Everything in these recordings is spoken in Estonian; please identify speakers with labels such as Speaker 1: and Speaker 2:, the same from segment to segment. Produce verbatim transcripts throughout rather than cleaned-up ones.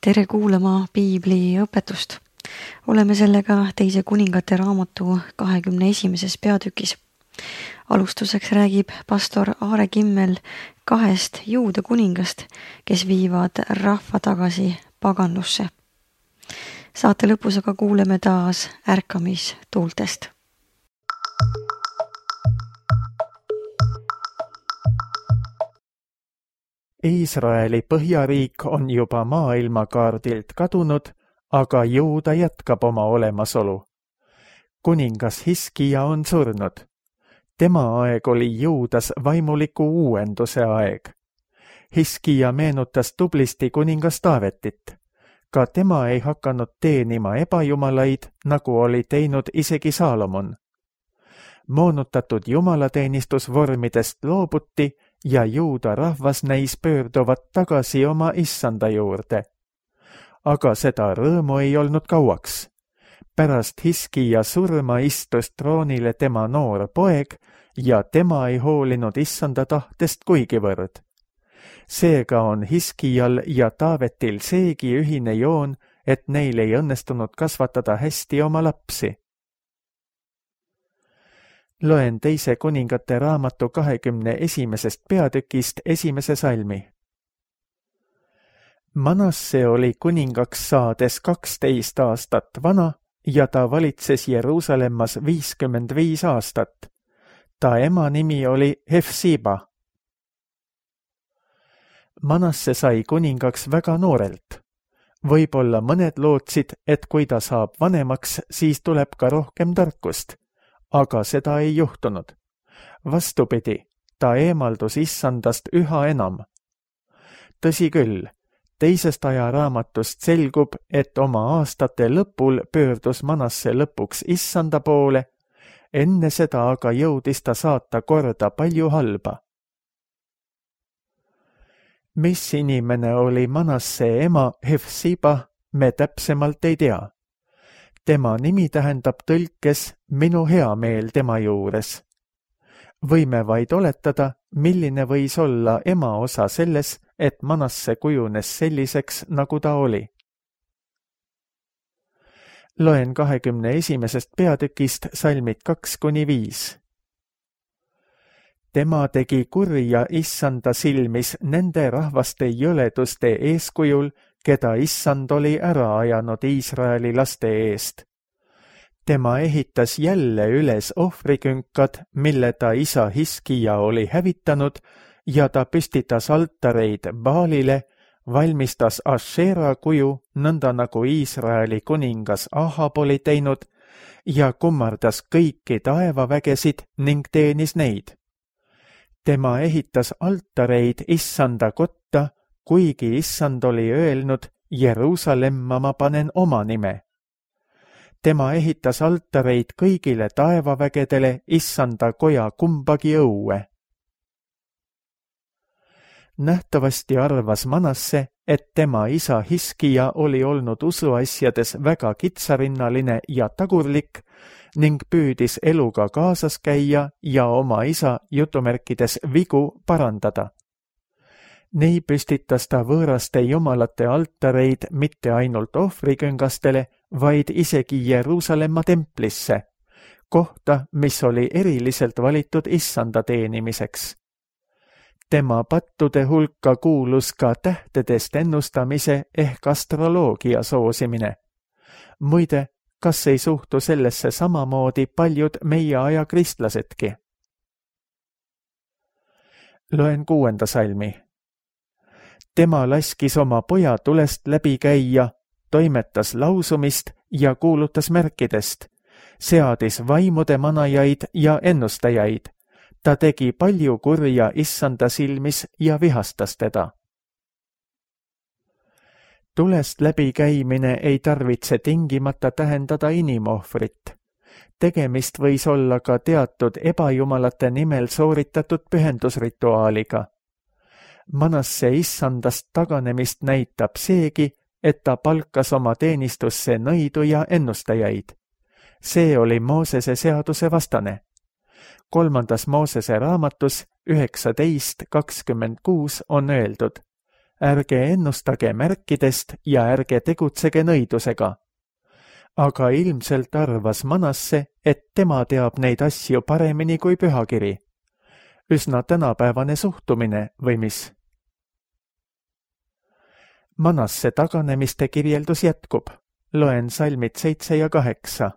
Speaker 1: Tere kuulama Piibli õpetust. Oleme sellega teise kuningate raamatu kahekümne esimeses peatükis. Alustuseks räägib pastor Aare Kimmel kahest juuda kuningast, kes viivad rahva tagasi paganlusse. Saate lõpus aga kuuleme taas ärkamistuultest.
Speaker 2: Iisraeli põhjariik on juba maailmakaardilt kadunud, aga Juuda jätkab oma olemasolu. Kuningas Hiskija on surnud. Tema aeg oli Juudas vaimuliku uuenduse aeg. Hiskija meenutas tublisti kuningas Taavetit. Ka tema ei hakanud teenima ebajumalaid, nagu oli teinud isegi Saalomon. Moonutatud jumalateenistusvormidest loobuti ja Juuda rahvas näis pöörduvat tagasi oma issanda juurde. Aga seda rõõmu ei olnud kauaks. Pärast Hiskija surma istus troonile tema noor poeg ja tema ei hoolinud issanda tahtest kuigivõrd. Seega on Hiskijal ja Taavetil seegi ühine joon, et neil ei õnnestunud kasvatada hästi oma lapsi. Loen teise kuningate raamatu kahekümne esimesest peatükist esimese salmi. Manasse oli kuningaks saades kaksteist aastat vana ja ta valitses Jeruusalemmas viiskümmend viis aastat. Ta ema nimi oli Hefsiba. Manasse sai kuningaks väga noorelt. Võib-olla mõned lootsid, et kui ta saab vanemaks, siis tuleb ka rohkem tarkust. Aga seda ei juhtunud. Vastupidi, ta eemaldus issandast üha enam. Tõsi küll, teisest ajaraamatust selgub, et oma aastate lõpul pöördus Manasse lõpuks issanda poole, enne seda aga jõudis ta saata korda palju halba. Mis inimene oli Manasse ema Hefsiba, me täpsemalt ei tea. Tema nimi tähendab tõlkes minu hea meel tema juures. Võime vaid oletada, milline võis olla ema osa selles, et Manasse kujunes selliseks, nagu ta oli. Loen kahekümne esimesest peatükist salmid kaks kuni viis. Tema tegi kurja issanda silmis nende rahvaste jõleduste eeskujul, keda issand oli ära ajanud Iisraeli laste eest. Tema ehitas jälle üles ohvrikünkad, mille ta isa Hiskija oli hävitanud, ja ta püstitas altareid Baalile, valmistas Ashera kuju, nõnda nagu Iisraeli kuningas Ahab oli teinud, ja kummardas kõiki taevavägesid ning teenis neid. Tema ehitas altareid issanda kotta, kuigi issand oli öelnud, Jeruusalemma ma panen oma nime. Tema ehitas altareid kõigile taevavägedele issanda koja kumbagi õue. Nähtavasti arvas Manasse, et tema isa Hiskija oli olnud usuasjades väga kitsarinnaline ja tagurlik ning püüdis eluga kaasas käia ja oma isa jutumärkides vigu parandada. Nii püstitas ta võõraste jumalate altareid mitte ainult ohvriküngastele, vaid isegi Jeruusalemma templisse, kohta, mis oli eriliselt valitud issanda teenimiseks. Tema pattude hulka kuulus ka tähtedest ennustamise ehk astroloogia soosimine. Muide, kas ei suhtu sellesse samamoodi paljud meie aja kristlasedki? Loen kuuenda salmi. Tema laskis oma poja tulest läbi käia, toimetas lausumist ja kuulutas märkidest, seadis vaimude manajaid ja ennustajaid. Ta tegi palju kurja issanda silmis ja vihastas teda. Tulest läbi käimine ei tarvitse tingimata tähendada inimohvrit. Tegemist võis olla ka teatud ebajumalate nimel sooritatud pühendusrituaaliga. Manasse issandast taganemist näitab seegi, et ta palkas oma teenistusse nõidu ja ennustajaid. See oli Moosese seaduse vastane. Kolmandas Moosese raamatus üheksateist kakskümmend kuus on öeldud: ärge ennustage märkidest ja ärge tegutsege nõidusega. Aga ilmselt arvas Manasse, et tema teab neid asju paremini kui pühakiri. Üsna tänapäevane suhtumine või mis? Manasse taganemiste kirjeldus jätkub. Loen salmid seitse ja kaheksa.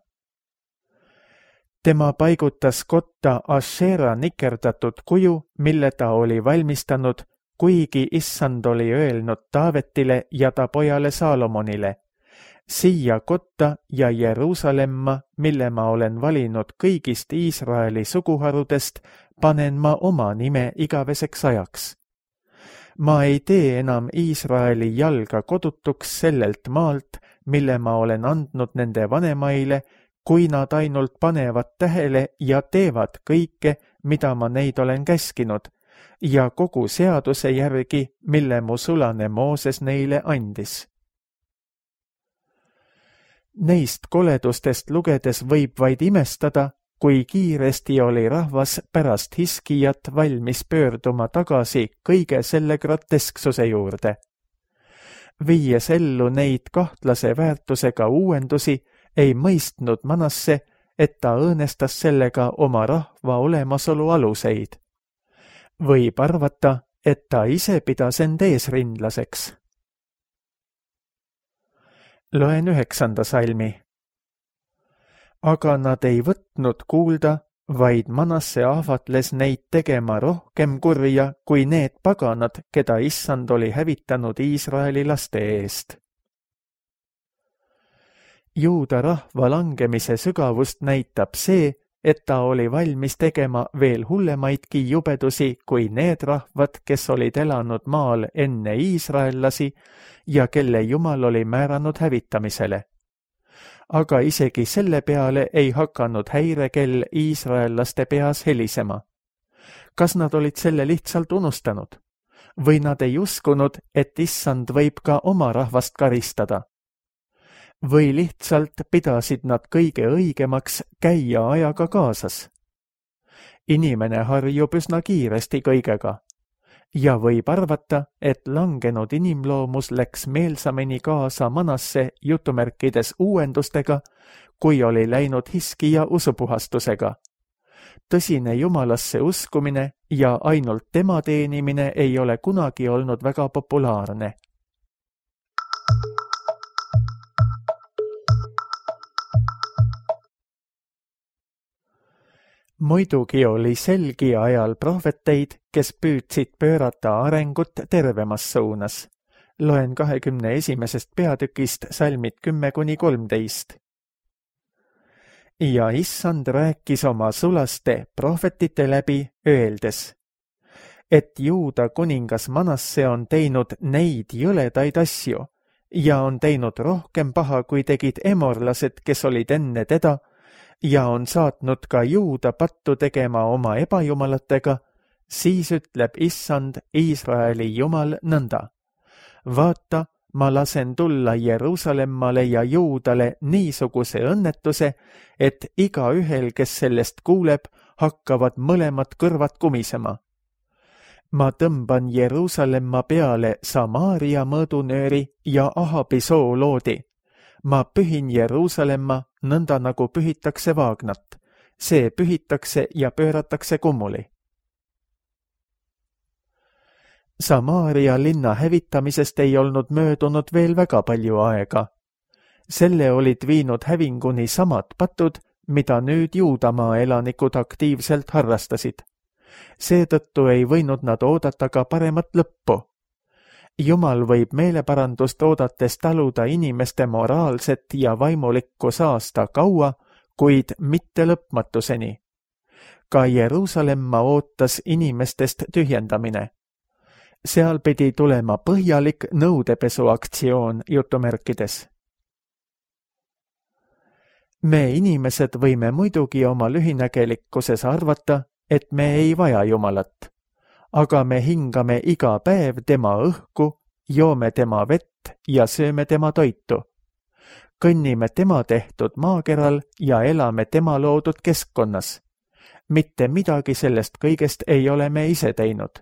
Speaker 2: Tema paigutas kotta Ashera nikerdatud kuju, mille ta oli valmistanud, kuigi issand oli öelnud Taavetile ja ta pojale Saalomonile. Siia kotta ja Jeruusalemma, mille ma olen valinud kõigist Iisraeli suguharudest, panen ma oma nime igaveseks ajaks. Ma ei tee enam Iisraeli jalga kodutuks sellelt maalt, mille ma olen andnud nende vanemaile, kui nad ainult panevad tähele ja teevad kõike, mida ma neid olen käskinud, ja kogu seaduse järgi, mille mu sulane Mooses neile andis. Neist koledustest lugedes võib vaid imestada, kui kiiresti oli rahvas pärast Hiskijat valmis pöörduma tagasi kõige selle grotesksuse juurde. Viies ellu neid kahtlase väärtusega uuendusi, ei mõistnud Manasse, et ta õõnestas sellega oma rahva olemasolu aluseid. Võib arvata, et ta ise pidas end eesrindlaseks. Loen üheksanda salmi. Aga nad ei võtnud kuulda, vaid Manasse ahvatles neid tegema rohkem kurja kui need paganad, keda issand oli hävitanud Iisraeli laste eest. Juuda rahva langemise sügavust näitab see, et ta oli valmis tegema veel hullemaidki jubedusi kui need rahvad, kes olid elanud maal enne iisraellasi ja kelle Jumal oli määranud hävitamisele. Aga isegi selle peale ei hakanud häirekell iisraellaste peas helisema. Kas nad olid selle lihtsalt unustanud? Või nad ei uskunud, et issand võib ka oma rahvast karistada? Või lihtsalt pidasid nad kõige õigemaks käia ajaga kaasas? Inimene harjub üsna kiiresti kõigega. Ja võib arvata, et langenud inimloomus läks meelsamini kaasa Manasse jutumärkides uuendustega, kui oli läinud Hiskija usupuhastusega. Tõsine Jumalasse uskumine ja ainult tema teenimine ei ole kunagi olnud väga populaarne. Muidugi oli selgi ajal prohveteid, kes püüdsid pöörata arengut tervemas suunas. Loen kahekümne esimesest peatükist salmid kümme kuni kolmteist. Ja issand rääkis oma sulaste prohvetite läbi, öeldes, et Juuda kuningas Manasse on teinud neid jõledaid asju ja on teinud rohkem paha, kui tegid emorlased, kes olid enne teda, ja on saatnud ka Juuda pattu tegema oma ebajumalatega, siis ütleb issand Iisraeli Jumal nõnda. Vaata, ma lasen tulla Jeruusalemmale ja Juudale niisuguse õnnetuse, et igaühel, kes sellest kuuleb, hakkavad mõlemad kõrvad kumisema. Ma tõmban Jeruusalemma peale Samaaria mõõdunööri ja Ahabi sooloodi. Ma pühin Jeruusalemma nõnda nagu pühitakse vaagnat. See pühitakse ja pööratakse kummuli. Samaaria linna hävitamisest ei olnud möödunud veel väga palju aega. Selle olid viinud hävinguni samad patud, mida nüüd Juudamaa elanikud aktiivselt harrastasid. Seetõttu ei võinud nad oodata ka paremat lõppu. Jumal võib meeleparandust oodates taluda inimeste moraalset ja vaimulikku saasta kaua, kuid mitte lõpmatuseni. Ka Jeruusalemma ootas inimestest tühjendamine. Seal pidi tulema põhjalik nõudepesuaktsioon jutumärkides. Me inimesed võime muidugi oma lühinägelikkuses arvata, et me ei vaja Jumalat. Aga me hingame iga päev tema õhku, joome tema vett ja sööme tema toitu. Kõnnime tema tehtud maakeral ja elame tema loodud keskkonnas. Mitte midagi sellest kõigest ei ole me ise teinud.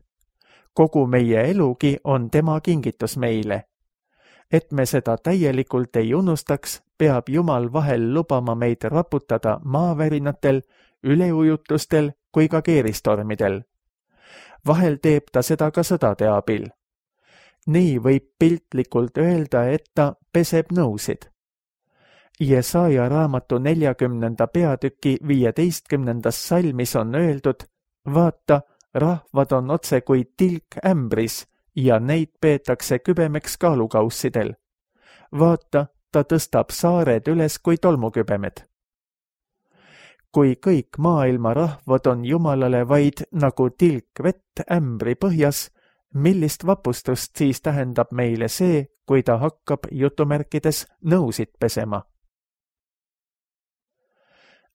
Speaker 2: kogu meie elugi on tema kingitus meile. Et me seda täielikult ei unustaks, peab Jumal vahel lubama meid raputada maavärinatel, üleujutustel kui ka keeristormidel. Vahel teeb ta seda ka sõdade abil. Nii võib piltlikult öelda, et ta peseb nõusid. Jesaja raamatu neljakümnenda peatüki viieteistkümnendas salmis on öeldud, vaata, rahvad on otse kui tilk ämbris ja neid peetakse kübemeks kaalukaussidel. Vaata, ta tõstab saared üles kui tolmukübemed. Kui kõik maailma rahvad on Jumalale vaid nagu tilk vett ämbri põhjas, millist vapustust siis tähendab meile see, kui ta hakkab jutumärkides nõusid pesema?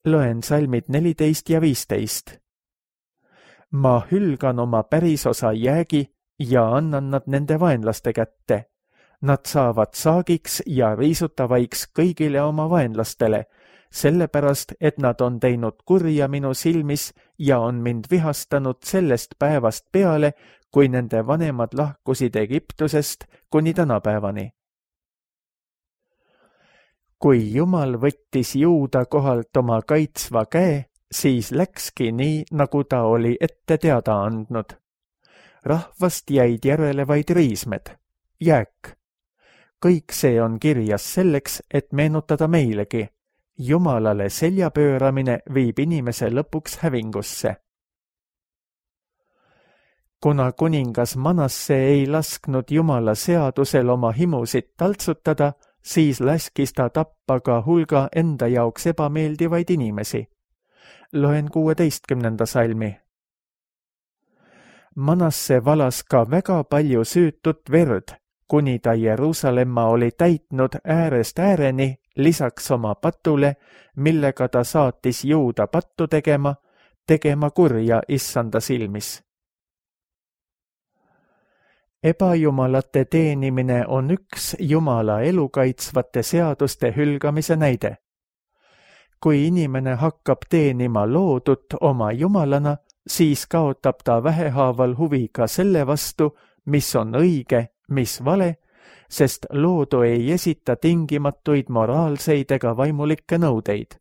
Speaker 2: Loen salmid neliteist ja viisteist. Ma hülgan oma pärisosa jäägi ja annan nad nende vaenlaste kätte. Nad saavad saagiks ja riisutavaiks kõigile oma vaenlastele, sellepärast, et nad on teinud kurja minu silmis ja on mind vihastanud sellest päevast peale, kui nende vanemad lahkusid Egiptusest kuni tänapäevani. Kui Jumal võttis Juuda kohalt oma kaitsva käe, siis läkski nii, nagu ta oli ette teada andnud. Rahvast jäid järele vaid riismed, jääk. Kõik see on kirjas selleks, et meenutada meilegi. Jumalale selja pööramine viib inimese lõpuks hävingusse. Kuna kuningas Manasse ei lasknud Jumala seadusel oma himusid taltsutada, siis laskis ta tappa ka hulga enda jaoks ebameeldivaid inimesi. Loen kuueteistkümnenda salmi. Manasse valas ka väga palju süütut verd, kuni ta Jeruusalemma oli täitnud äärest ääreni, lisaks oma patule, millega ta saatis Juuda pattu tegema, tegema kurja issanda silmis. Ebajumalate teenimine on üks Jumala elukaitsvate seaduste hülgamise näide. Kui inimene hakkab teenima loodut oma jumalana, siis kaotab ta vähehaaval huvi ka selle vastu, mis on õige, mis vale, sest loodu ei esita tingimatuid moraalseid ega vaimulikke nõudeid.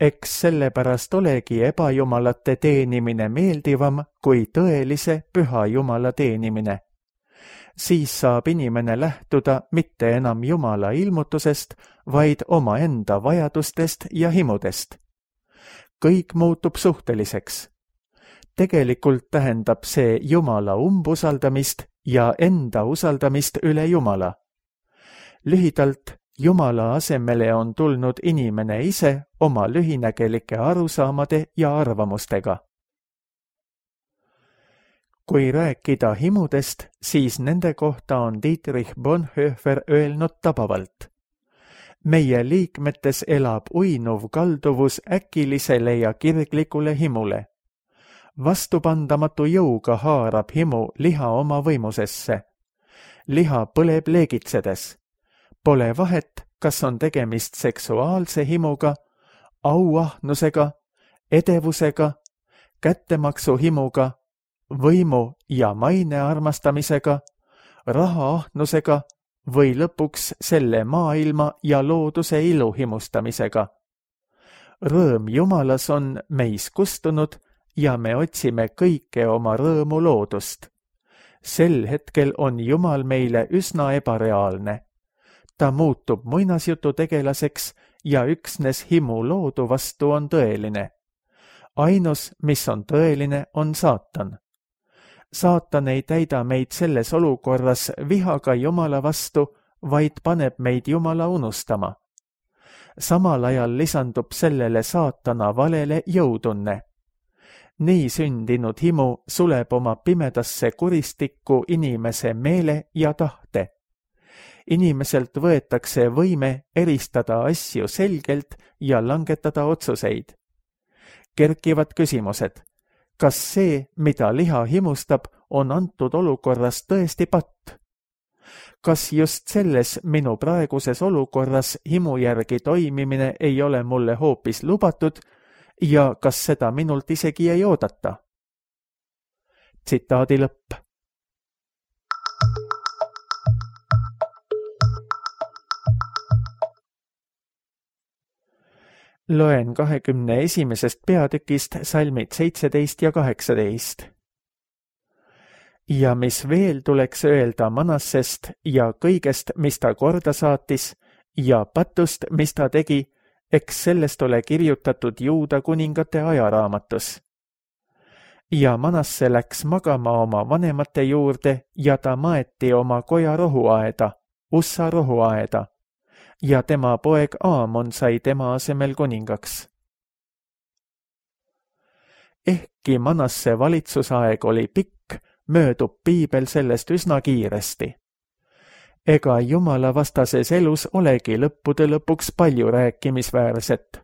Speaker 2: Eks sellepärast olegi ebajumalate teenimine meeldivam kui tõelise püha Jumala teenimine. Siis saab inimene lähtuda mitte enam Jumala ilmutusest, vaid omaenda vajadustest ja himudest. Kõik muutub suhteliseks. Tegelikult tähendab see Jumala umbusaldamist ja enda usaldamist üle Jumala. Lühidalt, Jumala asemele on tulnud inimene ise oma lühinägelike arusaamade ja arvamustega. Kui rääkida himudest, siis nende kohta on Dietrich Bonhoeffer öelnud tabavalt. Meie liikmetes elab uinuv kalduvus äkilisele ja kirglikule himule. Vastupandamatu jõuga haarab himu liha oma võimusesse. Liha põleb leegitsedes. Pole vahet, kas on tegemist seksuaalse himuga, auahnusega, edevusega, kättemaksu himuga, võimu ja maine armastamisega, rahaahnusega või lõpuks selle maailma ja looduse ilu himustamisega. Rõõm Jumalas on meis kustunud ja me otsime kõike oma rõõmu loodust. Sel hetkel on Jumal meile üsna ebareaalne. Ta muutub muinasjutu tegelaseks ja üksnes himu loodu vastu on tõeline. Ainus, mis on tõeline, on saatan. Saatan ei täida meid selles olukorras vihaga Jumala vastu, vaid paneb meid Jumala unustama. Samal ajal lisandub sellele saatana valele jõutunne. Nii sündinud himu suleb oma pimedasse kuristikku inimese meele ja tahte. Inimeselt võetakse võime eristada asju selgelt ja langetada otsuseid. Kerkivad küsimused. Kas see, mida liha himustab, on antud olukorras tõesti patt? Kas just selles minu praeguses olukorras himu järgi toimimine ei ole mulle hoopis lubatud ja kas seda minult isegi ei oodata? Tsitaadi lõpp. Loen kahekümne esimesest peatükist salmid seitseteist ja kaheksateist. Ja mis veel tuleks öelda Manassest ja kõigest, mis ta korda saatis, ja patust, mis ta tegi, eks sellest ole kirjutatud Juuda kuningate ajaraamatus. Ja Manasse läks magama oma vanemate juurde ja ta maeti oma koja rohuaeda, Ussa rohuaeda, ja tema poeg Aamon sai tema asemel kuningaks. Ehkki Manasse valitsusaeg oli pikk, möödub piibel sellest üsna kiiresti. Ega Jumala vastases elus olegi lõppude lõpuks palju rääkimisväärset.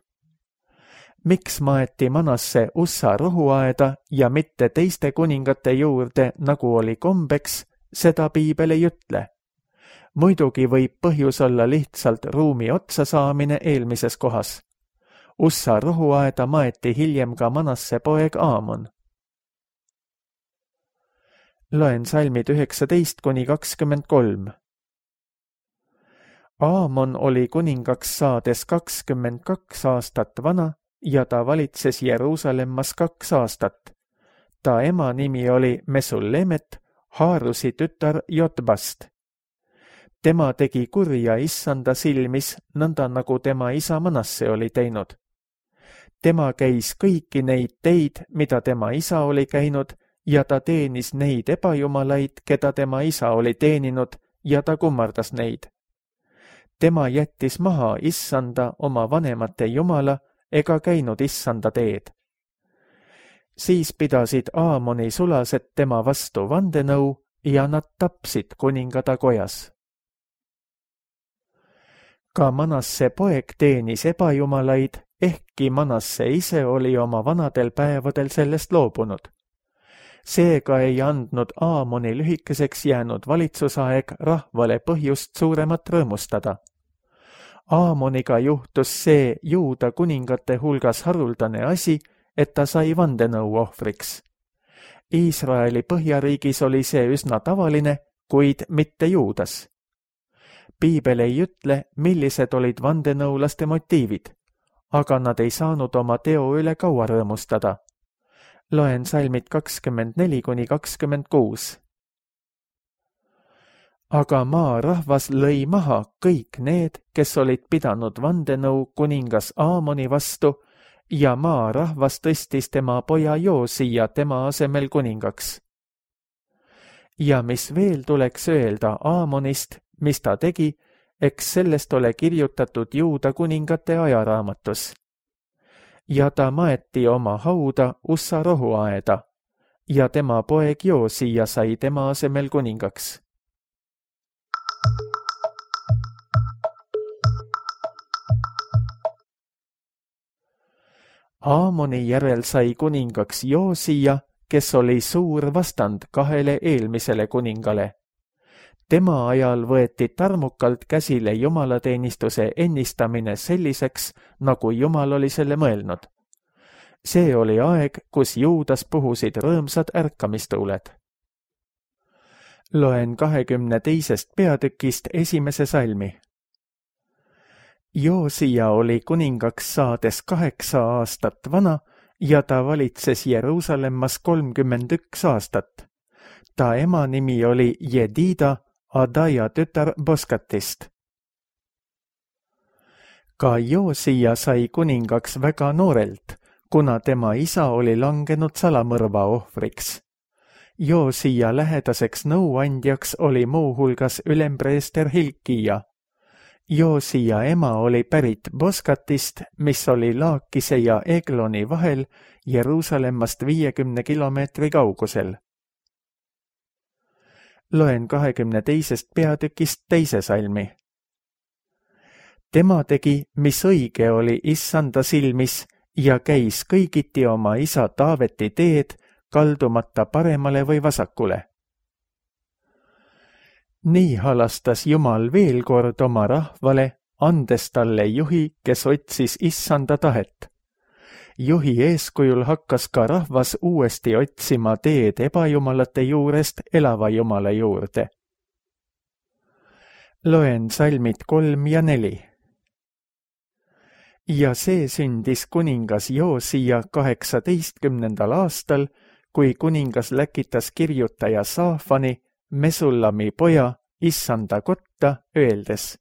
Speaker 2: Miks maeti Manasse Ussa rohuaeda ja mitte teiste kuningate juurde, nagu oli kombeks, seda piibel ei ütle. Muidugi võib põhjus olla lihtsalt ruumi otsa saamine eelmises kohas. Ussa rohuaeda maeti hiljem ka Manasse poeg Aamon. Loen salmid üheksateist kuni kakskümmend kolm. Aamon oli kuningaks saades kakskümmend kaks aastat vana ja ta valitses Jeruusalemmas kaks aastat. Ta ema nimi oli Mesullemet, Haarusi tütar Jotbast. Tema tegi kurja issanda silmis, nõnda nagu tema isa Manasse oli teinud. Tema käis kõiki neid teid, mida tema isa oli käinud, ja ta teenis neid ebajumalaid, keda tema isa oli teeninud, ja ta kummardas neid. Tema jättis maha issanda oma vanemate jumala ega käinud issanda teed. Siis pidasid Aamoni sulased tema vastu vandenõu ja nad tapsid kuningada kojas. Ka Manasse poeg teenis ebajumalaid, ehkki Manasse ise oli oma vanadel päevadel sellest loobunud. Seega ei andnud Aamoni lühikeseks jäänud valitsusaeg rahvale põhjust suuremat rõõmustada. Aamoniga juhtus see Juuda kuningate hulgas haruldane asi, et ta sai vandenõu ohvriks. Iisraeli põhjariigis oli see üsna tavaline, kuid mitte Juudas. Piibel ei ütle, millised olid vandenõulaste motiivid, aga nad ei saanud oma teo üle kaua rõõmustada. Loen salmid kakskümmend neli kuni kakskümmend kuus. Aga maa rahvas lõi maha kõik need, kes olid pidanud vandenõu kuningas Aamoni vastu, ja maa rahvas tõstis tema poja Joosia tema asemel kuningaks. Ja mis veel tuleks öelda Aamonist, mis ta tegi, eks sellest ole kirjutatud Juuda kuningate ajaraamatus. Ja ta maeti oma hauda Ussa rohuaeda, ja tema poeg Joosia sai tema asemel kuningaks. Aamoni järel sai kuningaks Joosia, kes oli suur vastand kahele eelmisele kuningale. Tema ajal võeti tarmukalt käsile jumalateenistuse ennistamine selliseks, nagu Jumal oli selle mõelnud. See oli aeg, kus Juudas puhusid rõõmsad ärkamistuuled. Loen kahekümne teisest peatükist esimese salmi. Joosia oli kuningaks saades kaheksa aastat vana ja ta valitses Jeruusalemmas kolmkümmend üks aastat. Ta ema nimi oli Jedida, Adaja tütar Boskatist. Ka Joosia sai kuningaks väga noorelt, kuna tema isa oli langenud salamõrva ohvriks. Joosia lähedaseks nõuandjaks oli muuhulgas ülempreester Hilkia. Joosia ema oli pärit Boskatist, mis oli Laakise ja Egloni vahel Jeruusalemmast viiekümne kilomeetri kaugusel. Loen kahekümne teisest peatükist teise salmi. Tema tegi, mis õige oli issanda silmis ja käis kõigiti oma isa Taaveti teed, kaldumata paremale või vasakule. Nii halastas Jumal veel kord oma rahvale, andes talle juhi, kes otsis issanda tahet. Juhi eeskujul hakkas ka rahvas uuesti otsima teed ebajumalate juurest elava Jumala juurde. Loen salmid kolm ja neli. ja see sündis kuningas Joosia kaheksateistkümnendal aastal, kui kuningas läkitas kirjutaja Saafani, Mesullami poja, issanda kotta, öeldes: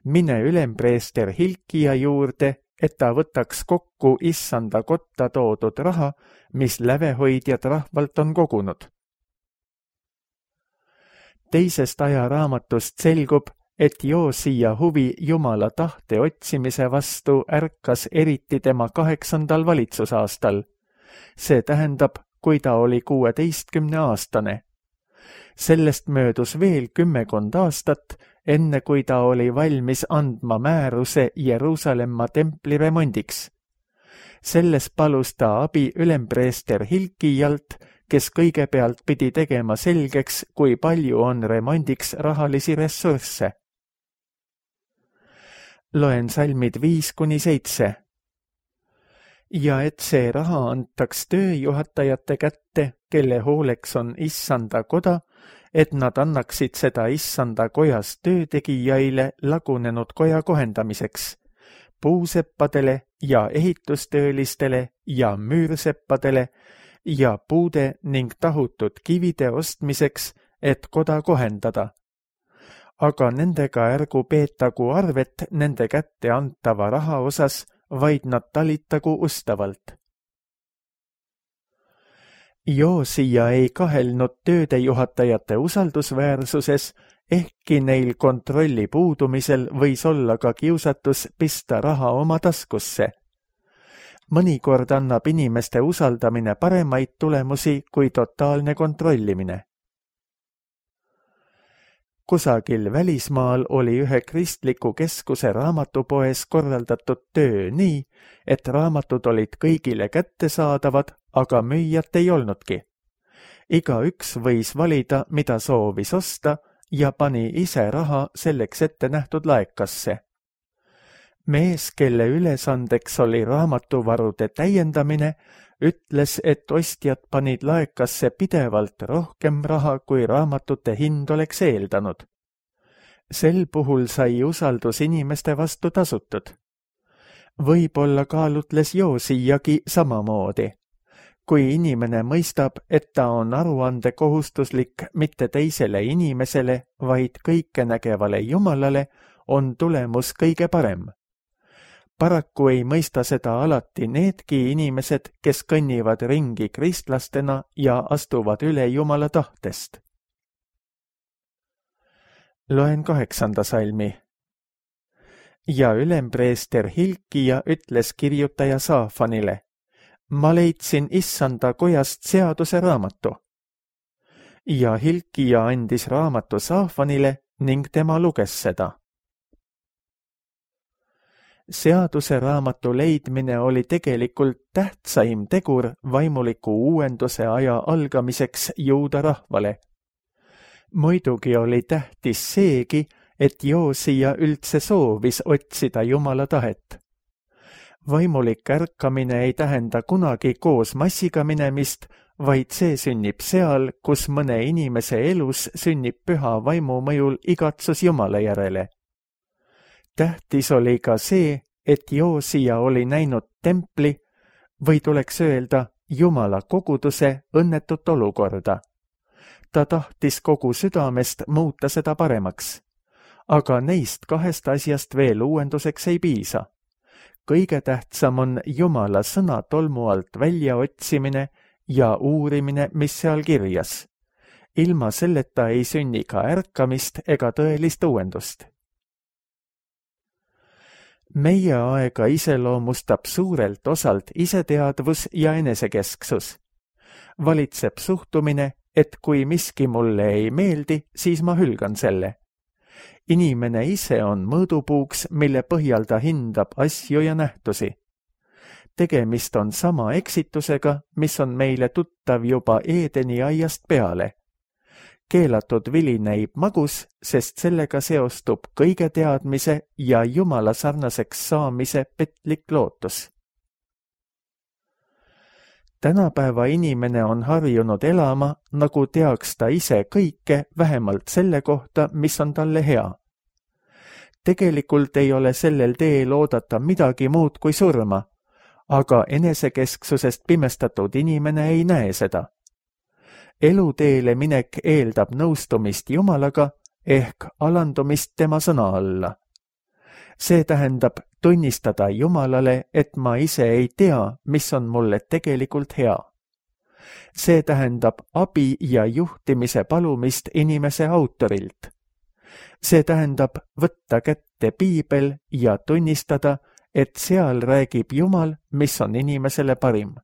Speaker 2: mine ülempreester Hilkia juurde, et ta võtaks kokku issanda kotta toodud raha, mis lävehoidjad rahvalt on kogunud. Teisest ajaraamatust selgub, et Joosia huvi Jumala tahte otsimise vastu ärkas eriti tema kaheksandal valitsusaastal. See tähendab, kui ta oli kuueteistkümne aastane. Sellest möödus veel kümmekond aastat, enne kui ta oli valmis andma määruse Jeruusalemma templi remondiks. Selles palus ta abi ülempreester Hilkijalt, kes kõigepealt pidi tegema selgeks, kui palju on remondiks rahalisi ressursse. Loen salmid viis kuni seitse. Ja et see raha antaks tööjuhatajate kätte, kelle hooleks on issanda koda, et nad annaksid seda issanda kojas töötegijaile lagunenud koja kohendamiseks, puuseppadele ja ehitustöölistele ja müürsepadele ja puude ning tahutud kivide ostmiseks, et koda kohendada. Aga nendega ärgu peetagu arvet nende kätte antava raha osas, vaid nad talitagu ustavalt. Joosia ei kahelnud töödejuhatajate usaldusväärsuses, ehkki neil kontrolli puudumisel võis olla ka kiusatus pista raha oma taskusse. Mõnikord annab inimeste usaldamine paremaid tulemusi kui totaalne kontrollimine. Kusagil välismaal oli ühe kristliku keskuse raamatupoes korraldatud töö nii, et raamatud olid kõigile kättesaadavad, aga müüjat ei olnudki. Igaüks võis valida, mida soovis osta ja pani ise raha selleks ette nähtud laekasse. Mees, kelle ülesandeks oli raamatuvarude täiendamine, ütles, et ostjad panid laekasse pidevalt rohkem raha, kui raamatute hind oleks eeldanud. Sel puhul sai usaldus inimeste vastu tasutud. Võib-olla kaalutles Joosiagi samamoodi. Kui inimene mõistab, et ta on aruande kohustuslik mitte teisele inimesele, vaid kõikenägevale Jumalale, on tulemus kõige parem. Paraku ei mõista seda alati needki inimesed, kes kõnnivad ringi kristlastena ja astuvad üle Jumala tahtest. Loen kaheksanda salmi. Ja ülempreester Hilkia ütles kirjutaja Saafanile: ma leidsin issanda kojast seaduse raamatu. Ja Hilkia andis raamatu Saafanile ning tema luges seda. Seaduse raamatu leidmine oli tegelikult tähtsaim tegur vaimuliku uuenduse aja algamiseks juuda rahvale. Muidugi oli tähtis seegi, et Joosia üldse soovis otsida Jumala tahet. Vaimulik ärkamine ei tähenda kunagi koos massiga minemist, vaid see sünnib seal, kus mõne inimese elus sünnib püha vaimu mõjul igatsus Jumala järele. Tähtis oli ka see, et Joosia oli näinud templi, või tuleks öelda Jumala koguduse õnnetut olukorda. Ta tahtis kogu südamest muuta seda paremaks. Aga neist kahest asjast veel uuenduseks ei piisa. Kõige tähtsam on Jumala sõna tolmu alt väljaotsimine ja uurimine, mis seal kirjas. Ilma selleta ei sünni ka ärkamist ega tõelist uuendust. Meie aega iseloomustab suurelt osalt iseteadvus ja enesekesksus. Valitseb suhtumine, et kui miski mulle ei meeldi, siis ma hülgan selle. Inimene ise on mõõdupuuks, mille põhjal ta hindab asju ja nähtusi. Tegemist on sama eksitusega, mis on meile tuttav juba Eedeni aiast peale. Keelatud vili näib magus, sest sellega seostub kõige teadmise ja Jumala sarnaseks saamise petlik lootus. Tänapäeva inimene on harjunud elama, nagu teaks ta ise kõike vähemalt selle kohta, mis on talle hea. tegelikult ei ole sellel teel oodata midagi muud kui surma, aga enesekesksusest pimestatud inimene ei näe seda. Eluteele minek eeldab nõustumist Jumalaga ehk alandumist tema sõna alla. See tähendab tunnistada Jumalale, et ma ise ei tea, mis on mulle tegelikult hea. See tähendab abi ja juhtimise palumist inimese autorilt. See tähendab võtta kätte piibel ja tunnistada, et seal räägib Jumal, mis on inimesele parim.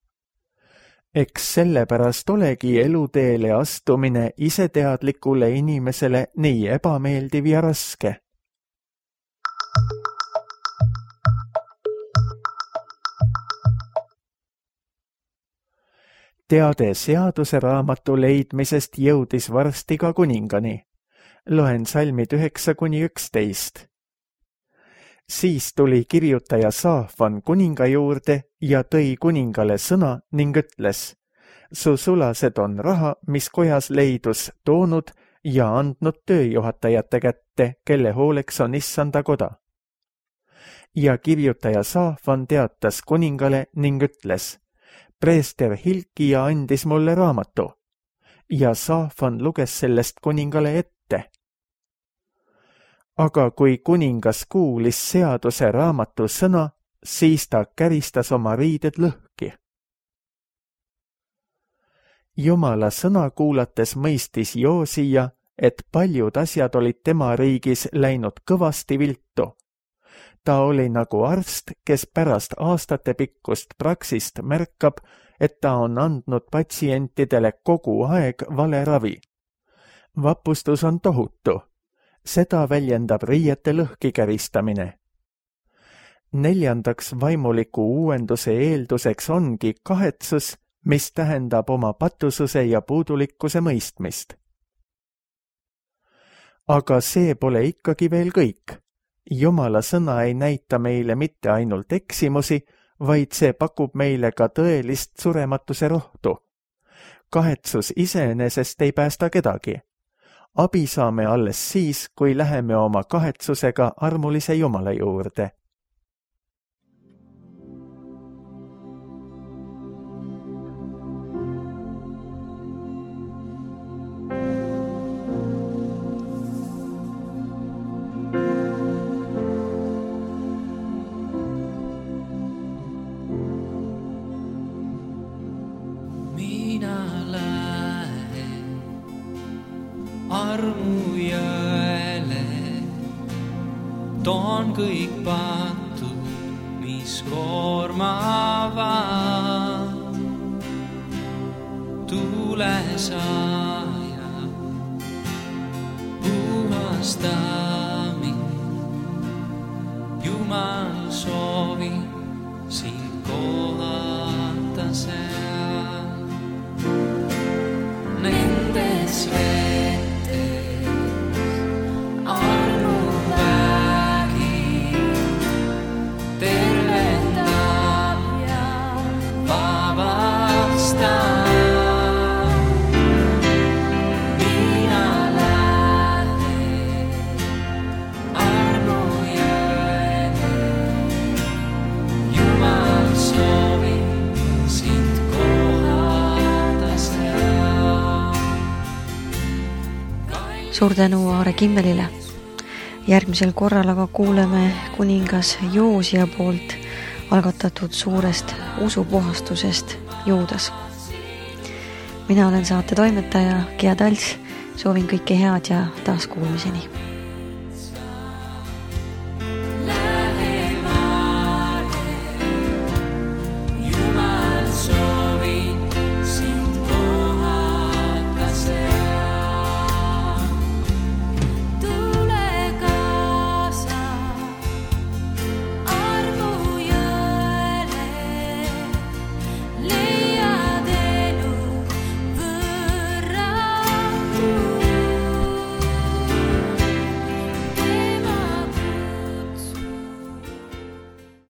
Speaker 2: Eks sellepärast olegi eluteele astumine iseteadlikule inimesele nii ebameeldiv ja raske. Teade seaduse raamatu leidmisest jõudis varsti ka kuningani. Loen salmid üheksa kuni üksteist. Siis tuli kirjutaja Saafan kuninga juurde ja tõi kuningale sõna ning ütles, su sulased on raha, mis kojas leidus, toonud ja andnud tööjuhatajate kätte, kelle hooleks on issanda koda. Ja kirjutaja Saafan teatas kuningale ning ütles, preester Hilkia andis mulle raamatu ja Saafan luges sellest kuningale ette. Aga kui kuningas kuulis seaduse raamatu sõna, siis ta käristas oma riided lõhki. Jumala sõna kuulates mõistis Joosia, et paljud asjad olid tema riigis läinud kõvasti viltu. Ta oli nagu arst, kes pärast aastate pikkust praksist märkab, et ta on andnud patsientidele kogu aeg vale ravi. Vapustus on tohutu. Seda väljendab riiete lõhki käristamine. Neljandaks vaimuliku uuenduse eelduseks ongi kahetsus, mis tähendab oma patususe ja puudulikkuse mõistmist. Aga see pole ikkagi veel kõik. Jumala sõna ei näita meile mitte ainult eksimusi, vaid see pakub meile ka tõelist surematuse rohtu. Kahetsus iseenesest ei päästa kedagi. Abi saame alles siis, kui läheme oma kahetsusega armulise Jumala juurde.
Speaker 3: Armujõele toon kõik patud, mis koormavad. Tule saaja, puhasta mind. Jumal soovi sind kohata seal. Nendes vetes armu vägi tervendab ja vabastab. Mina lähen armu jõele, Jumal soovib sind kohata seal.
Speaker 1: Suur tänu Aare Kimmelile. Järgmisel korral aga kuuleme kuningas Joosia poolt algatatud suurest usupuhastusest Juudas. Mina olen saate toimetaja Gea Talts, soovin kõike head ja taas kuulmiseni.